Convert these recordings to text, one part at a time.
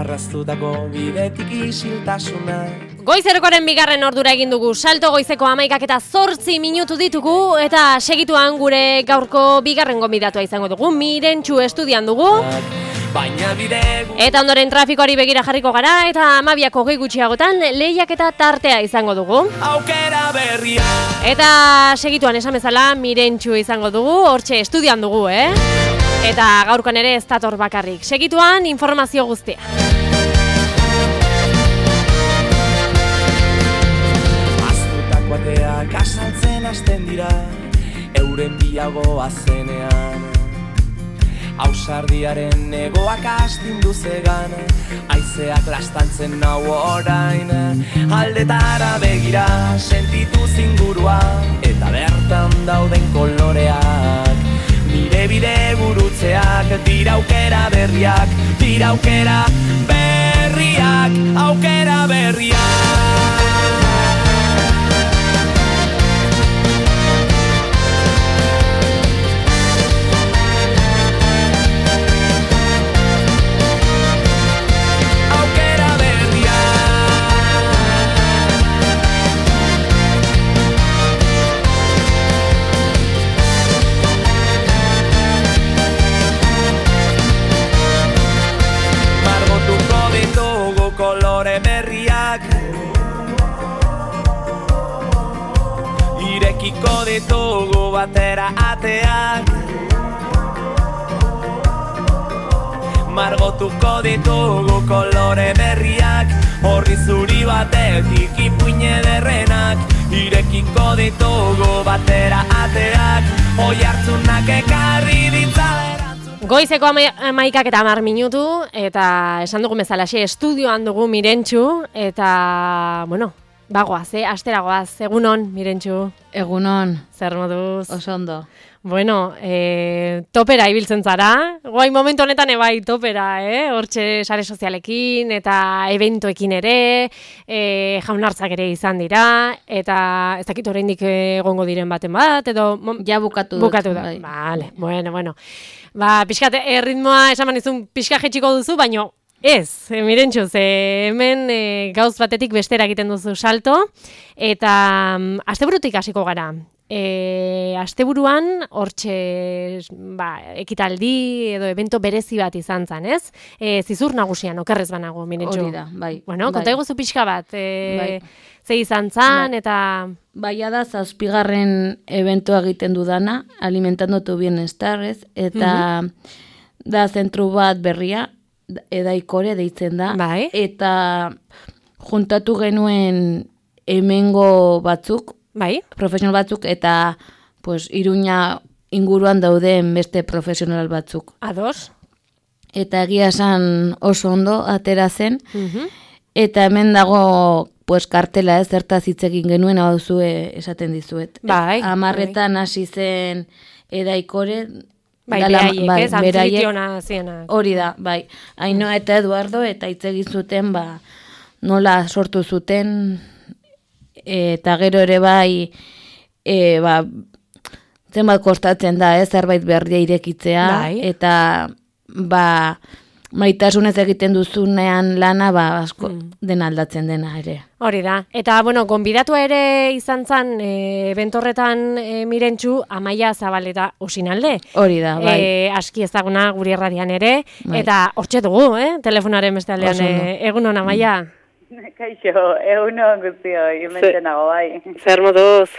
Marraztutako bidetik isiltasuna. Goizerkoaren bigarren ordura egin dugu, salto goizeko 11:08 minutu ditugu, eta segituan gure gaurko bigarren gonbidatua izango dugu, Mirentxu estudian dugu. Eta ondoren trafikoari begira jarriko gara, eta 12:20 gutxiagotan lehiak eta tartea izango dugu. Eta segituan esan bezala Mirentxu izango dugu, hortxe estudian dugu, Eta gaurkoan ere ez dator bakarrik. Segituan informazio guztia. Bateak asaltzen hasten dira, euren bilagoa zenean. Ausardiaren egoak astindu zegan, haizeak lastantzen nau orain. Aldetara begira sentitu zingurua, eta bertan dauden koloreak. Nire bide gurutzeak, dira aukera berriak, dira aukera berriak, aukera berriak. Kolore berriak irekiko ditugu batera ateak, margotuko ditugu kolore berriak, horri zuri batetik ipuine derrenak, irekiko ditugu batera ateak, oi hartzunak ekarri ditzalera. Goizeko 11:10 minutu, eta esan dugu bezalaxe estudioan dugu Mirentxu, eta, bueno, bagoaz, asteragoaz, egunon, Mirentxu. Egunon. Zer moduz? Oso ondo. Bueno, topera ibiltzen zara, guai momentu honetan ebai topera, hortxe sare sozialekin, eta eventoekin ere, jaunartzak ere izan dira, eta ez dakit oraindik egongo diren baten bat, edo... Ja bukatu da, bai. Vale, bueno. Ba, pixkat, ritmoa esan izun pixka jetxiko duzu, baino ez, Mirentxu, hemen gauz batetik bestera egiten duzu salto, eta asteburutik hasiko gara. Asteburuan hortxe ekitaldi edo evento berezi bat izan zen, ez? Zizur nagusian, okerrez banago, Mirentxu. Hori da, bai. Bueno, konta eguzu pixka bat, ze izan zen, eta... Baia da, 7. eventoa egiten dudana, Alimentando tu Bienestar, ez? Eta da zentru bat berria, Edaikore deitzen da. Bai. Eta juntatu genuen hemengo batzuk, bai, profesional batzuk, eta Iruña inguruan dauden beste profesional batzuk. Ados. Eta egia esan oso ondo atera zen, eta hemen dago kartela zertaz hitz egin genuen, hau zue esaten dizuet. Bai. 10:00 hasi zen Edaikore, beraiek, anfitriona zienak. Hori da, bai. Ainhoa eta Eduardo, eta hitz egin zuten, nola sortu zuten, eta gero ere bai, zenbat kostatzen da, zerbait berria irekitzea, bai. Eta maitasunez egiten duzunean lana, asko dena aldatzen dena ere. Hori da. Eta, gonbidatua ere izan zen, bentorretan Mirentxu, Amaia Zabaleta Usinalde. Hori da, bai. Aski ezaguna guri erradian ere, bai. Eta hortxe dugu, telefonaren beste aldean, egunon, Amaia. Kaixo, egunon guztioi, hemen nago, bai. Zer moduz?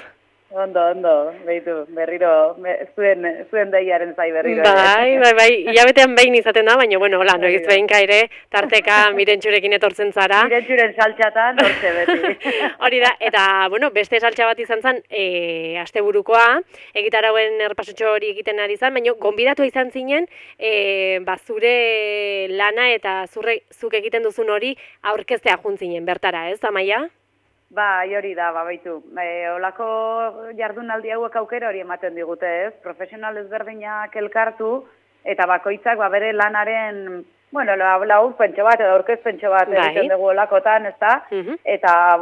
Ondo, behitu, berriro, zuen daiaren zai berriro. Bai, hilabetean behin izaten da, baina, hola, noiz behinka ere, tarteka Mirentxurekin etortzen zara. Mirentxuren saltxatan, hortxe beti. Hori da, eta, beste saltxa bat izan zen, asteburukoa, egitarauen erpasotxo hori egiten ari zen, baina, gonbidatua izan zinen, zure lana eta zuk egiten duzun hori aurkeztea juntzinen, bertara, ez, Amaia? Hori da, baitu. Olako jardunaldi hauek aukera hori ematen digute, ez? Profesional ezberdinak elkartu, eta bakoitzak bere lanaren, laurpentxo bat edo aurkezpentxo bat egiten dugu olakotan, ez da? Eta,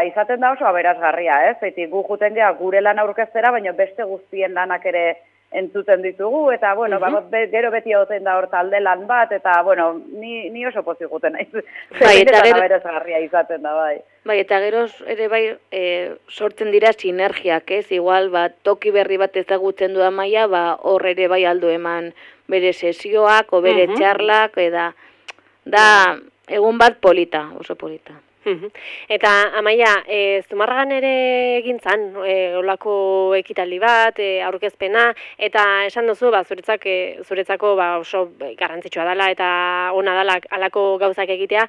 izaten da oso aberazgarria, ez? Gu juten gea gure lan aurkeztera, baina beste guztien lanak ere entzuten ditugu, eta, bueno, gero beti hauten da hor talde lan bat, eta, bueno, ni oso pozik guten naiz. Bai, eta gero aberasgarria izaten da, bai. Bai, eta gero ere bai sortzen dira sinergiak, ez? Igual, toki berri bat ezagutzen du Amaia, hor ere bai aldo eman bere sesioak, o bere txarlak, da egun bat polita, oso polita. Eta, Amaia, Zumarragan ere egin zan, olako ekitaldi bat, aurkezpena, eta esan duzu, zuretzako oso garrantzitsua dela, eta ona dela alako gauzak egitea,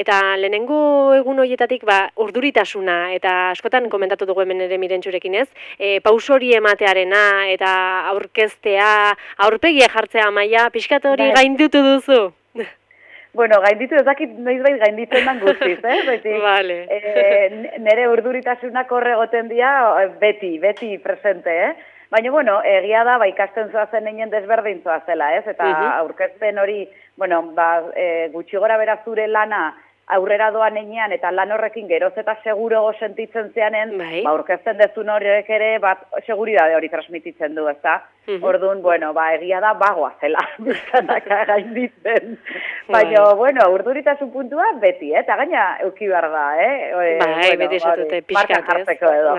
eta lehenengo egun horietatik urduritasuna, eta askotan komentatu dugu hemen ere Mirentxurekin ez, pauso hori ematearena, eta aurkeztea, aurpegia jartzea, Amaia, pixkat hori gainditu duzu? Bueno, gainditu ezakit noizbait gainditzen dan guztiz, Vale. Nere urduritasunak horre goten dira beti presente, Baina, bueno, egia da, ikasten zoazen einen desberdin zoazela, Eta aurkezpen hori, bueno, gutxi gora bera zure lana aurrera doan enean, eta lan horrekin geroz eta segurogo sentitzen zeanen, aurkezten dezun horiek ere, seguridade hori transmititzen du, ezta? Orduan, bueno, egia da, bagoa zela, biztanak gainditzen. Baina, bueno, urduritasun puntua beti, eta gaina euki behar da, beti esatute, pixkat, markan jartzeko edo,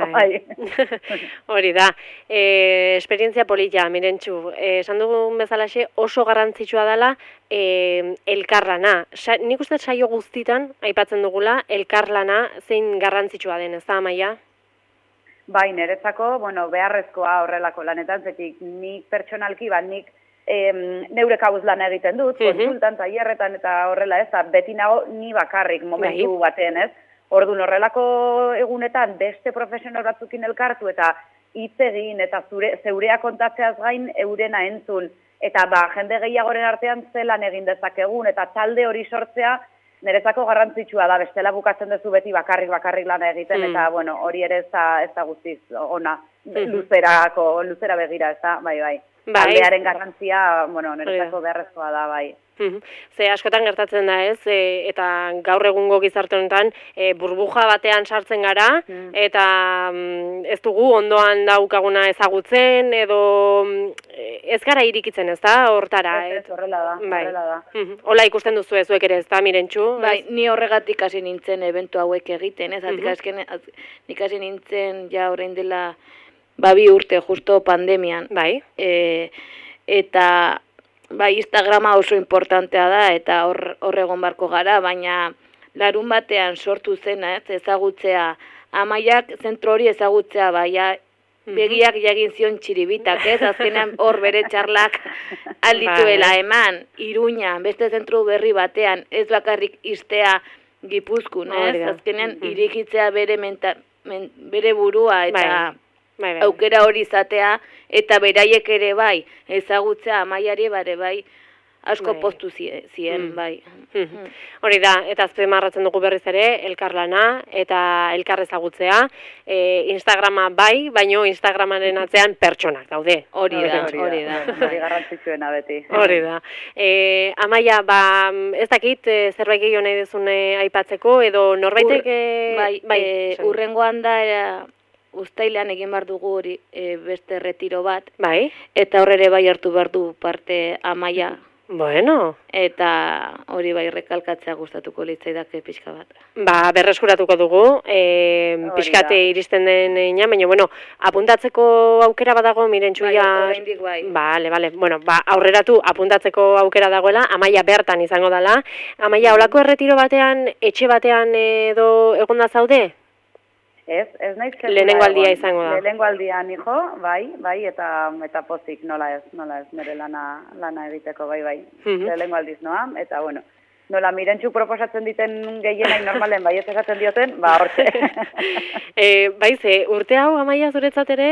Hori da, esperientzia polita, Mirentxu, esan dugun bezalaxe oso garrantzitsua dela, elkarlana. Nik uste saio guztitan, aipatzen dugula, elkarlana zein garrantzitsua den, ez da, Amaia? Bai, niretzako, bueno, beharrezkoa horrelako lanetan, zetik nik pertsonalki, nik neure kabuz lan egiten dut, konsultan, tailerretan eta horrela ez, beti nago ni bakarrik momentu batean ez. Orduan horrelako egunetan beste profesional batzukin elkartu eta hitz egin eta zeurea kontatzeaz gain eurena entzun. Eta jende gehiagoren artean zelan egin dezakegun eta talde hori sortzea niretzako garrantzitsua da, bestela bukatzen duzu beti bakarrik lana egiten, eta, bueno, hori ere ez da guztiz ona, luzera begira, ez da, bai. Taldearen garrantzia, bueno, niretzako beharrezkoa da, bai. Ze askotan gertatzen da ez, eta gaur egungo gizarte honetan burbuja batean sartzen gara, eta ez dugu ondoan daukaguna ezagutzen, edo ez gara irikitzen ez da, hortara. Ez, horrela da. Hola ikusten duzu zuek ere ez da, Mirentxu? Bai, ni horregatik hasi nintzen eventu hauek egiten, ez, nik hasi nintzen ja orain dela 2 urte, justo pandemian. Bai. Eta Instagrama oso importantea da, eta hor egon barko gara, baina larun batean sortu zena, ezagutzea, Amaiak zentro hori ezagutzea, begiak jagin zion txiribitak, azkenean hor bere txarlak aldituela eman, Iruña, beste zentro berri batean, ez bakarrik iztea Gipuzkoan, azkenean irikitzea bere burua, eta aukera hori izatea, eta beraiek ere bai, ezagutzea Amaiari bai, asko postu zien, bai. Hori da, eta azpimarratzen dugu berriz ere, elkarlana eta elkar ezagutzea, Instagrama bai, baino Instagramaren atzean pertsonak daude. Hori da. Hori garrantzitsuena beti. Hori da. Amaia, ez dakit, zerbait gehiago nahi dezune aipatzeko, edo norbaitek... Bai, urrengoan da, Uztailean egin behar dugu hori beste retiro bat. Bai. Eta horre bai hartu behar du parte Amaia. Bueno. Eta hori bai rekalkatzea gustatuko litzaidake pixka bat. Berreskuratuko dugu, pixkate iristen den ina, baina, bueno, apuntatzeko aukera badago, Mirentxuia... Oraindik bai. Bale, bueno, aurreratu apuntatzeko aukera dagoela, Amaia bertan izango dela. Amaia, holako erretiro batean, etxe batean edo egonda zaude? Ez naiz zer. Lehenengo aldia izango da. Lehenengo aldia nijo, bai, eta pozik, nola ez, nire lana egiteko, bai. Lehenengo aldiz noa, eta bueno, nola Mirentxu proposatzen diten gehienak normalen bai ez esaten dioten, hortze. Urte hau Amaia zuretzat ere,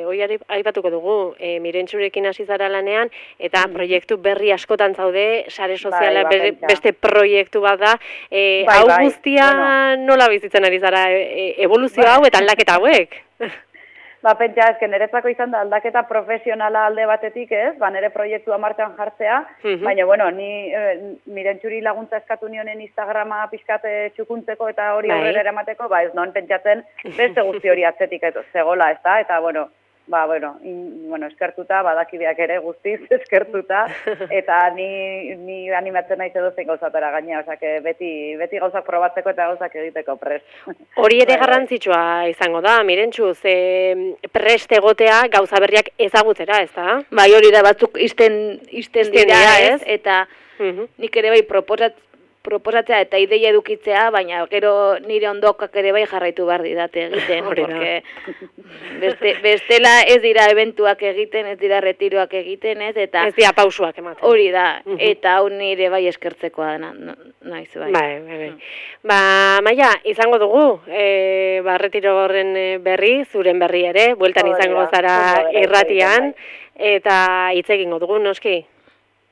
hori aipatuko dugu, Mirentxurekin hasi zara lanean, eta proiektu berri askotan zaude, sare soziala beste proiektu bat da, hau guztia nola bizitzen ari zara, evoluzio hau eta aldaketa hauek? Pentsa ezken, niretzako izan da aldaketa profesionala alde batetik ez, nire proiektua martxan jartzea, baina, bueno, ni Mirentxuri laguntza eskatu nionen Instagrama pixkate txukuntzeko eta hori aurrera eramateko, ez noen pentsatzen beste guzti hori atzetik zegoela, ez da, eta, bueno, eskertuta, badakideak ere guztiz eskertuta, eta ni animatzen naiz edozein gauzatara gaina, osea, beti gauzak probatzeko eta gauzak egiteko prest. Hori ere garrantzitsua izango da, Mirentxu, prest egotea gauza berriak ezagutzera, ez da? Bai, hori da, batzuk izten dira, ez? Eta nik ere bai proposatzea eta ideia edukitzea, baina gero nire ondokak ere bai jarraitu behar didate egiten, porque bestela ez dira eventuak egiten, ez dira retiroak egiten, ez? Eta ez dira pausuak ematen. Hori da, eta hau nire bai eskertzekoa naiz bai. Bai. Maia, izango dugu, retiro horren berri, zuren berri ere, bueltan izango zara irratian, eta hitz egingo dugu, noski?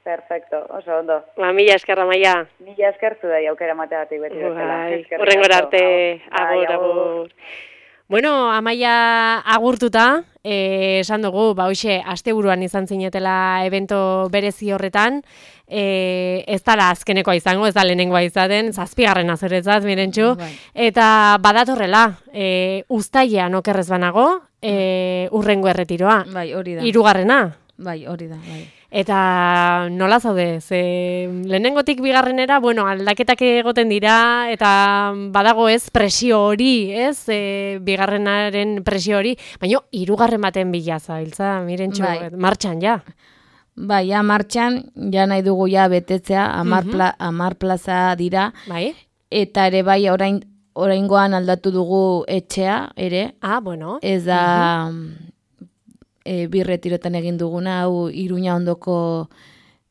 Perfecto, oso ondo. Mila eskerra, Maia. Mila eskertu da, aukera mateatik beti bezala. Horrengora arte, agur. Bueno, Amaia agurtuta, esan dugu, hoxe, asteburuan izan zinetela evento berezi horretan, ez dala azkenekoa izango, ez da lehenengoa izaten, 7. azoretzat, Mirentxu, eta badatorrela, uztailean okerrez banago, urrengo erretiroa. Bai, hori da. 3. Bai, hori da, bai. Eta nola zaude, lehenengotik bigarrenera, aldaketak egoten dira, eta badago ez presio hori, ez, bigarrenaren presio hori, baina 3. baten bila zabiltza, Mirentxu, martxan ja. Bai, ja, martxan, ja nahi dugu ja betetzea, 10 plaza dira, bai. Eta ere bai, oraingoan aldatu dugu etxea, ere. Bueno. Ez da... bi retirotan egin duguna, hau Iruña ondoko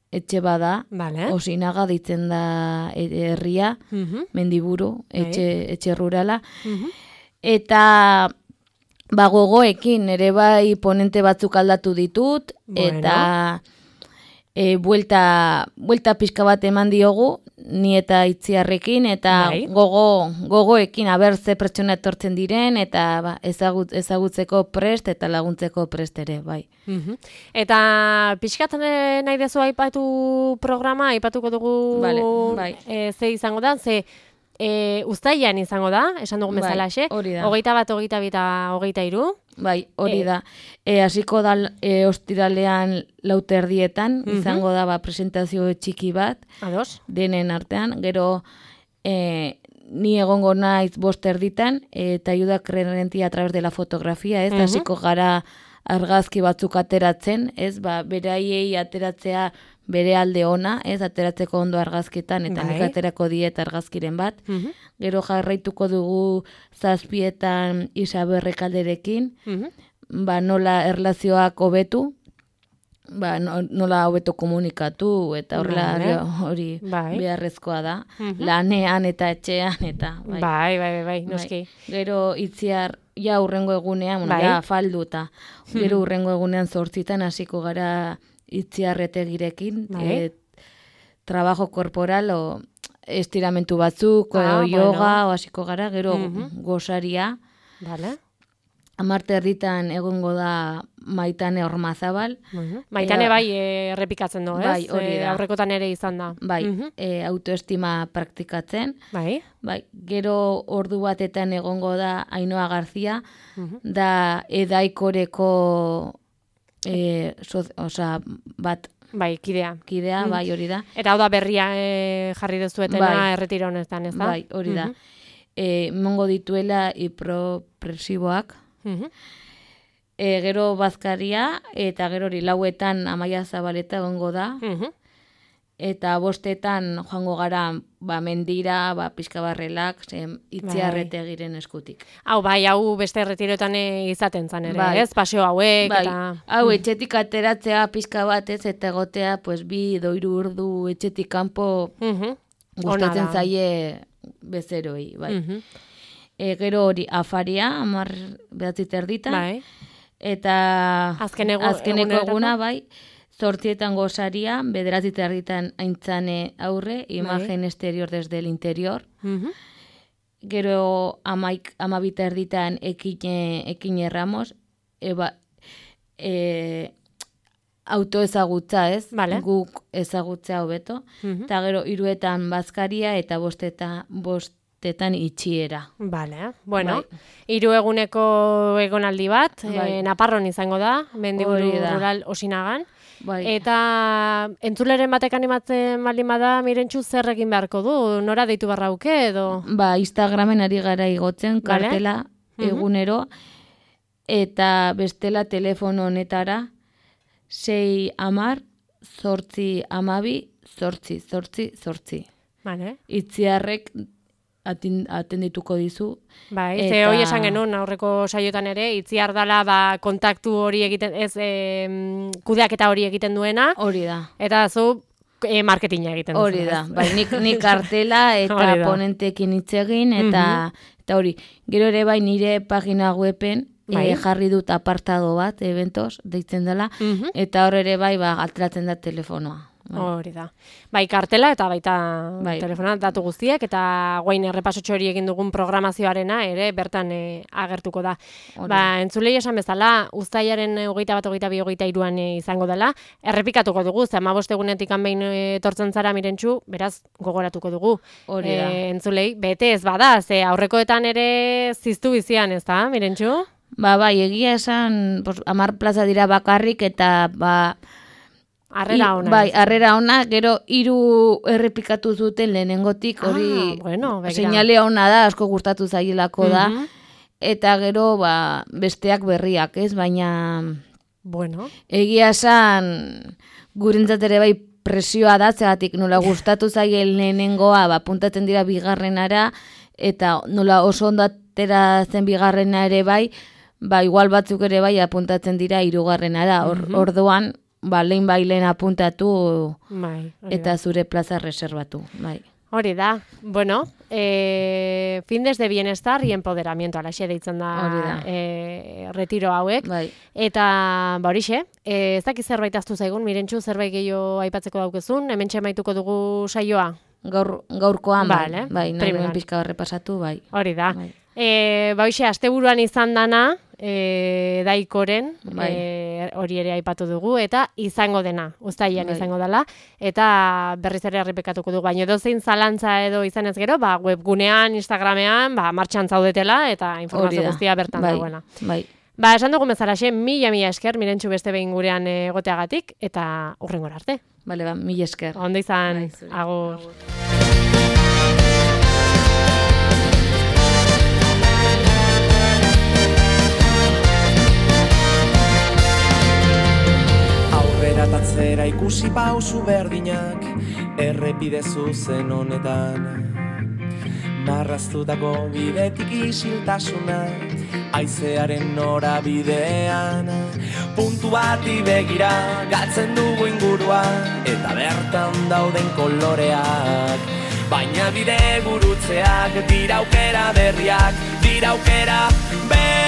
etxe bada, Osinaga ditzen da herria, Mendiburu, etxe rurala, eta gogoekin ere bai ponente batzuk aldatu ditut, eta buelta pixka bat eman diogu, ni eta Itziarrekin, eta gogoekin, ze pertsona etortzen diren, eta ezagutzeko prest, eta laguntzeko prest ere, bai. Eta pixkat nahi dezu aipatu programa, aipatuko dugu ze izango da, ze uztailean izango da, esan dugun bezalaxe, 21, 22 eta 23. Bai, hori da. Hasiko da ostiralean 4:00 izango da presentazio txiki bat, denen artean, gero ni egongo naiz 5:30 eta ayuda crerentia a través de la fotografía, ez, hasiko gara argazki batzuk ateratzen, ez, beraiei ateratzea bere alde ona, ez, ateratzeko ondo argazketan, eta nik aterako diet argazkiren bat. Gero jarraituko dugu 7:00 Isaberre kalderekin, nola erlazioak hobetu, nola hobeto komunikatu, eta horrela hori beharrezkoa da, lanean eta etxean, eta bai, noski. Gero Itziar, ja urrengo egunean, ja falduta, gero urrengo egunean 8:00 hasiko gara Itziarretegirekin, trabajo corporal o estiramentu batzuk, yoga, hasiko gara, gero gosaria. 10:00 egongo da Maitane Ormazabal. Maitane bai errepikatzen du, ez? Bai, hori da. Aurrekotan ere izan da. Bai, autoestima praktikatzen. Bai. Gero ordu batetan egongo da Ainhoa Garzia, da Edaikoreko bat... Bai, kidea. Bai, hori da. Eta hau da berria jarri dezuetena erretiro honetan, ez da? Bai, hori da. Mongo dituela hipropresiboak. Gero bazkaria, eta gero hori 4:00 Amaia Zabaleta egongo da. Eta 5:00 joango gara mendira, pixka barrelak, Itziarretegiren eskutik. Hau beste erretiroetan izaten zan ere, ez? Paseo hauek, eta... Hau, etxetik ateratzea pixka bat, ez? Eta egotea, 2-3 ordu etxetik kanpo gustatzen zaie bezeroi, bai. Gero hori afaria, 10:30, eta azkeneko eguna, bai, 8:00 gosaria, 9:30 aintzane aurre, imagen exterior desde el interior. Gero 12:30 ekine Ramos, autoezagutza, ez? Guk ezagutza hobeto. Eta gero 3:00 bazkaria, eta 5:00 tetan itxiera. Bale, bueno, 3 eguneko egonaldi bat, Naparron izango da, Mendiburu Rural Osinagan. Eta entzuleren batek animatzen baldin bada, Mirentxu zer egin beharko du? Nora deitu barrauke edo? Instagramen ari gara igotzen, kartela egunero, eta bestela telefono honetara 610-812-888. Vale. Itziarrek atendituko dizu. Bai, ze hoi esan genuen aurreko saiotan ere, Itziar dala kontaktu hori egiten, ez kudeaketa hori egiten duena. Hori da. Eta zu marketinga egiten duzu. Hori da, bai, nik kartela eta ponentekin hitz egin, eta hori, gero ere bai nire pagina weben, jarri dut apartado bat, eventos, deitzen dela, eta hor ere bai, alteratzen da telefonoa. Hori da. Bai, kartela eta baita telefona datu guztiek, eta guain errepasotxo hori egin dugun programazioarena ere bertan agertuko da. Entzulei esan bezala, uztailaren 21-22-23an izango dela, errepikatuko dugu, ze 15 egunetik behin etortzen zara Mirentxu, beraz gogoratuko dugu. Hori da. Entzulei, bete ez bada, ze aurrekoetan ere ziztu bizian, ez da, Mirentxu? Bai, egia esan, 10 plaza dira bakarrik, eta Arrera ona. Bai, arrera ona, gero 3 errepikatu zuten lehenengotik, hori seinalea ona da, asko gustatu zaielako da, eta gero besteak berriak, ez? Baina, egia esan, gurentzat ere bai presioa da, zegatik nola gustatu zaien lehenengoa, puntatzen dira bigarrenara, eta nola oso ondo atera zen bigarrena ere bai, igual batzuk ere bai apuntatzen dira 3garrenara, orduan, lehen apuntatu eta zure plaza reservatu. Hori da. Bueno, findes de bienestar y empoderamiento, alaxe deitzen da retiro hauek. Eta, horixe, ez dakiz zerbait aztu zaigun, Mirentxu, zerbait gehiago aipatzeko daukezun, hementxe maituko dugu saioa? Gaurkoan, nahi nuen pixka horrepasatu, Hori da. Hoxe, asteburuan izan dana, Daikoren, hori ere aipatu dugu, eta izango dena, uztailean izango dela, eta berriz ere errepikatuko dugu, baina edozein zalantza edo izan ez gero, webgunean, Instagramean, martxan zaudetela, eta informazio guztia bertan dagoena. Esan dugu mezalaxe, mila esker, Mirentxu beste behin gurean egoteagatik, eta hurrengora arte. Mila esker. Ondo izan, agur. Tatzera ikusi pausu berdinak errepide zuzen honetan, marraztutako bidetik isiltasuna haizearen norabidean, puntu bati begira galtzen dugu ingurua eta bertan dauden koloreak, baina bide gurutzeak dira aukera berriak, dira aukera berriak.